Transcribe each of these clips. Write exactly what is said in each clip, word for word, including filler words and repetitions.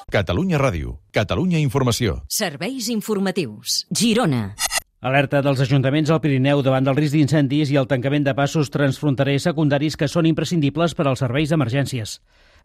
Catalunya Ràdio, Catalunya Informació. Serveis informatius. Girona. Alerta dels ajuntaments al Pirineu davant del risc d'incendis i el tancament de passos transfronterers secundaris que són imprescindibles per als serveis d'emergències.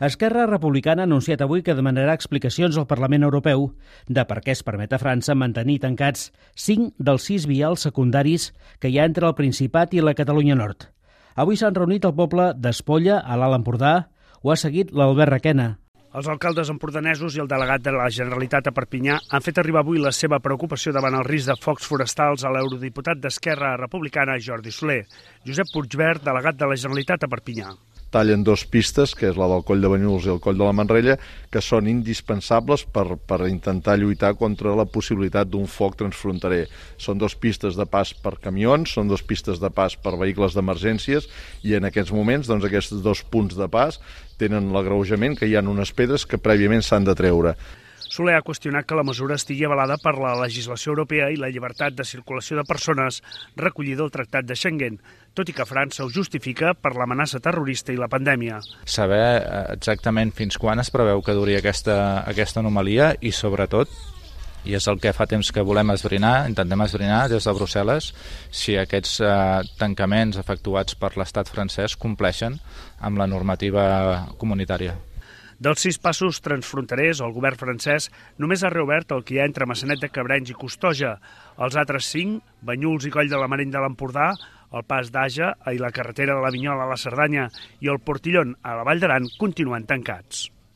Esquerra Republicana ha anunciat avui que demanarà explicacions al Parlament Europeu de per què es permet a França mantenir tancats cinc dels sis vials secundaris que hi ha entre el Principat i la Catalunya Nord. Avui s'han reunit el poble d'Espolla, a l'Alt Empordà. Ho ha seguit l'Albert Requena. Els alcaldes empordanesos i el delegat de la Generalitat a Perpinyà han fet arribar avui la seva preocupació davant el risc de focs forestals a l'eurodiputat d'Esquerra Republicana, Jordi Soler. Josep Puigvert, delegat de la Generalitat a Perpinyà. Tallen dos pistes, que és la del Coll de Banyuls i el Coll de la Manrella, que són indispensables per, per intentar lluitar contra la possibilitat d'un foc transfronterer. Són dos pistes de pas per camions, són dos pistes de pas per vehicles d'emergències i en aquests moments doncs, aquests dos punts de pas tenen l'agreujament que hi ha unes pedres que prèviament s'han de treure. Soler ha qüestionat que la mesura estigui avalada per la legislació europea i la llibertat de circulació de persones recollida al Tractat de Schengen, tot i que França ho justifica per l'amenaça terrorista i la pandèmia. Saber exactament fins quan es preveu que duri aquesta, aquesta anomalia i, sobretot, i és el que fa temps que volem esbrinar, intentem esbrinar des de Brussel·les, si aquests eh, tancaments efectuats per l'estat francès compleixen amb la normativa comunitària. Dels sis passos transfronterers, el govern francès només ha reobert el que hi ha entre Maçanet de Cabrenys i Costoja. Els altres cinc, Banyuls i Coll de la Mareny de l'Empordà, el pas d'Aja i la carretera de la Vinyola a la Cerdanya i el Portillon a la Vall d'Aran, continuen tancats.